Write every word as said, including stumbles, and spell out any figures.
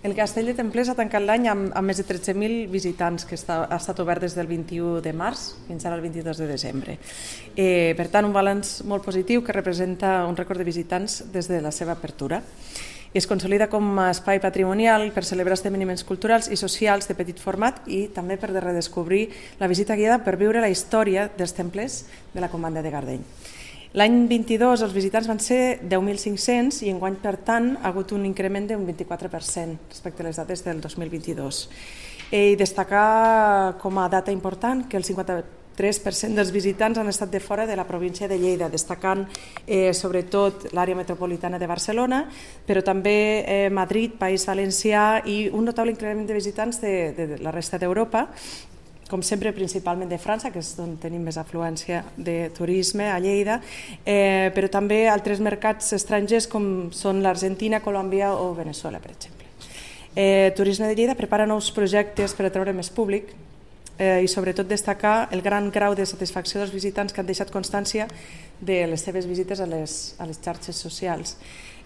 El Castell de Templers ha tancat l'any amb, amb més de tretze mil visitants, que està, ha estat obert des del vint-i-u de març fins ara el vint-i-dos de desembre. Eh, per tant, un balanç molt positiu que representa un rècord de visitants des de la seva apertura. I es consolida com a espai patrimonial per celebrar esdeveniments culturals i socials de petit format i també per redescobrir la visita guiada per viure la història dels templers de la Comanda de Gardeny. L'any vint-i-dos els visitants van ser deu mil cinc-cents i enguany, per tant, ha hagut un increment d'un vint-i-quatre per cent respecte a les dades del dos mil vint-i-dos. I destacar com a data important que el cinquanta-tres per cent dels visitants han estat de fora de la província de Lleida, destacant eh, sobretot l'àrea metropolitana de Barcelona, però també eh, Madrid, País Valencià i un notable increment de visitants de, de la resta d'Europa, com sempre principalment de França, que és on tenim més afluència de turisme a Lleida, eh, però també altres mercats estrangers com són l'Argentina, Colòmbia o Veneçuela, per exemple. Eh, Turisme de Lleida prepara nous projectes per atreure més públic eh, i sobretot destacar el gran grau de satisfacció dels visitants que han deixat constància de les seves visites a les, a les xarxes socials.